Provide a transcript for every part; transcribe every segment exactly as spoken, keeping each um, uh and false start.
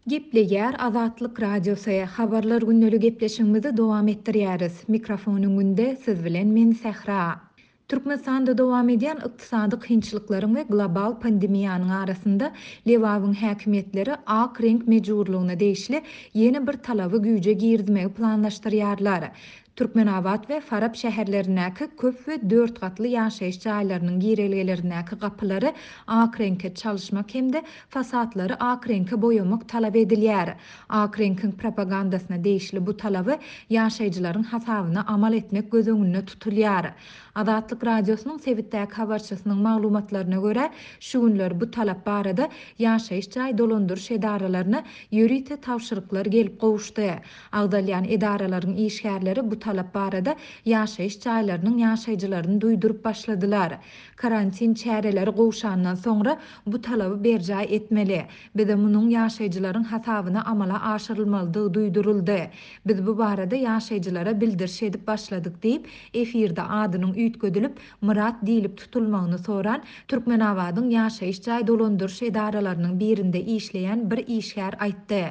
Gepleýär Azatlyk Radiosy, Habarlar gündeli gepleşigimizi dowam etdirýäris. Mikrofon öňünde siz bilen men Sähra. Türkmenistanda dowam edýän ykdysady kynçylyklaryň we global pandemiýanyň arasynda Lebabyň häkimiýetleri ak reňk mejburlygyna degişli ýene bir talaby güýje girizmegi planlaşdyrýarlar. Türkmenabat we Farap şäherlerindäki köp we dört gatly ýaşaýyş jaýlarynyň girelgelerindäki gapylary ak reňke çalyşmak hem-de fasadlary ak reňke boýamak talap edilýär. Ak reňkiň propagandasyna degişli bu talaby ýaşaýjylaryň hasabyna amal etmek göz öňünde tutulýar. Azatlyk Radiosynyň sebitdäki habarçysynyň maglumatlaryna görä, şu günler bu talap barada ýaşaýyş jaý dolandyryş edaralaryna ýörite tabşyryklar gelip gowuşdy. Agzalýan edaralaryň işgärleri bu talap barada ýaşaýyş jaýlarynyň ýaşaýjylaryny duýduryp başladylar. Karantin çäreleri gowşandan soňra bu talaby berjaý etmeli. Bize munuň ýaşaýjylaryň hasabyna amala aşyrylmalydygy duýduryldy. Biz bu barada ýaşaýjylara bildiriş edip başladyk diýip, efirde adynyň üýtgedilip Myrat diýlip tutulmagyny soran Türkmenabadyň ýaşaýyş jaý dolandyryş edaralarynyň birinde işleýän bir işgär aýtdy.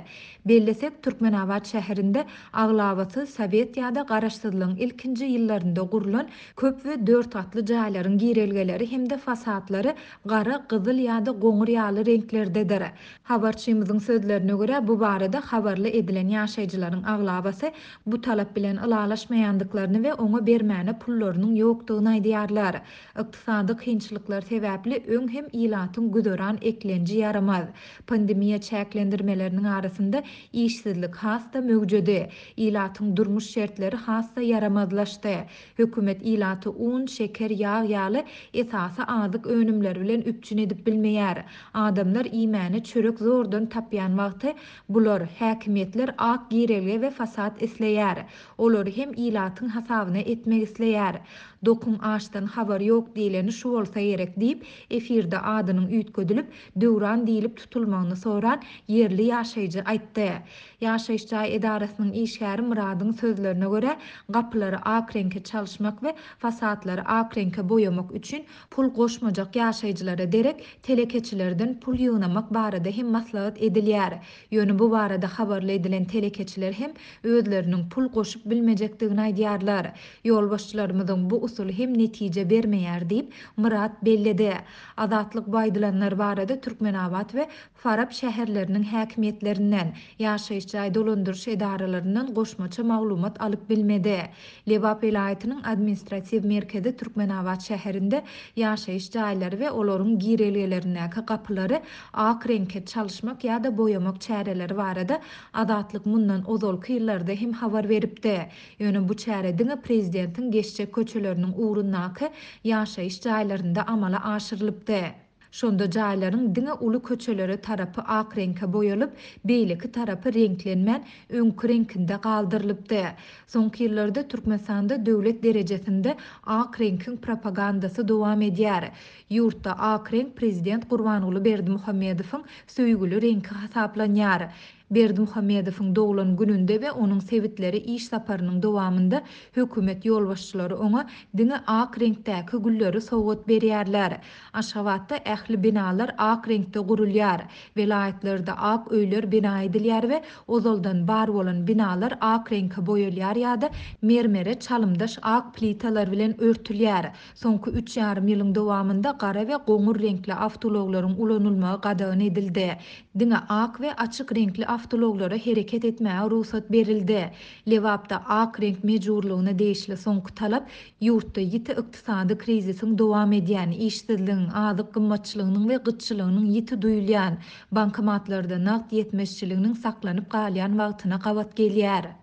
Bellesek, Türkmenabat şäherinde aglabasy sowet ýa-da garaşsyzlygyň ilkinji ýyllarynda gurlan köp we dört gatly jaýlaryň girelgeleri hem-de fasadlary gara, gyzyl ýa-da goňur ýaly reňklerdedir. Habarçymyzyň sözlerine görä, bu barada habarly edilen ýaşaýjylaryň aglabasy bu talap bilen ylalaşmaýandyklaryny we oňa bermäne pullarynyň ýokdugyny aýdýarlar. Ykdysady kynçylyklar sebäpli öň hem ilatyň güzeran eklenji ýaramaz. Pandemiýa çäklendirmeleriniň arasynda işsizlik has-da möwjedi. Ilatyň durmuş şertleri has-da ýaramazlaşdy. Hökümet ilaty un, şeker, ýag ýaly esasy azyk önümleri bilen üpjün edip bilmeýär. Adamlar iýmäne çörek zordan tapýan wagty bular häkimiýetler ak girelge we fasad isleýär. Olary hem ilatyň hasabyna etmek isleýär. Dokuň aşdan habar ýok diýleni şu bolsa gerek diýip, efirde adynyň üýtgedilip, Döwran diýlip tutulmagyny soran ýerli ýaşaýjy aýtdy. Ýaşaýyş jaý edarasynyň işgäri Myradyň sözlerine görä, gapylary ak reňke çalyşmak we fasadlary ak reňke boýamak üçin pul goşmajak ýaşaýjylara derek telekeçilerden pul ýygnamak barada hem maslahat edilýär. Ýöne bu barada habarly edilen telekeçiler hem özleriniň pul goşup bilmejekdigini aýdýarlar. Ýolbaşçylarymyzyň bu usuly hem netije bermeýär diýip, Myrat belledi. Azatlyk bu aýdylanlar barada Türkmenabat we Farap şäherleriniň häkimiýetlerinden, ýaşaýyş jaý dolandyryş edaralaryndan goşmaça maglumat alyp bilmedi. Lebap welaýatynyň administratiw merkezi Türkmenabat şäherinde ýaşaýyş jaýlary we olaryň girelgelerindäki gapylary ak reňke çalyşmak ýa-da boýamak çäreleri barada Azatlyk mundan ozalky ýyllarda hem habar beripdi. Ýöne bu çäre diňe prezidentiň geçjek köçeleriniň ugrundaky ýaşaýyş jaýlarynda amala aşyrylypdy. Şonda jaýlaryň diňe uly köçelere tarapy ak reňke boýalyp, beýleki tarapy reňklenmän, öňki reňkinde galdyrylypdy. Soňky ýyllarda Türkmenistanda döwlet derejesinde ak reňkiň propagandasy dowam edýär. Ýurtda ak reňk prezident Gurbanguly Berdimuhamedowyň söýgüli reňki hasaplanýar. Berdimuhamedowyň doglan gününde we onuň sebitleri iş saparynyň dowamynda hökümet ýolbaşçylary oňa diňe ak reňkdäki gülleri sowgat berýärler. Aşgabatda ähli binalar ak reňkde gurulýar. Welaýatlarda ak öýler bina edilýär we ozaldan bar bolan binalar ak reňke boýalýar ýa-da mermere çalymdaş ak plitalar bilen örtülýär. Soňky üç ýarym ýylyň dowamynda gara we goňur reňkli awtoulaglaryň ulanylmagy gadagan edildi. Diňe ak we açyk reňkli awtoulaglara hereket etmäge rugsat berildi. Lebapda ak reňk mejburlygyna degişli soňky talap ýurtda ýiti ykdysady krizisiň dowam edýän, işsizligiň, azyk gymmatçylygynyň we gytçylygynyň ýiti duýulýan, bankomatlarda nagt ýetmezçiliginiň saklanyp galýan wagtyna gabat gelýär.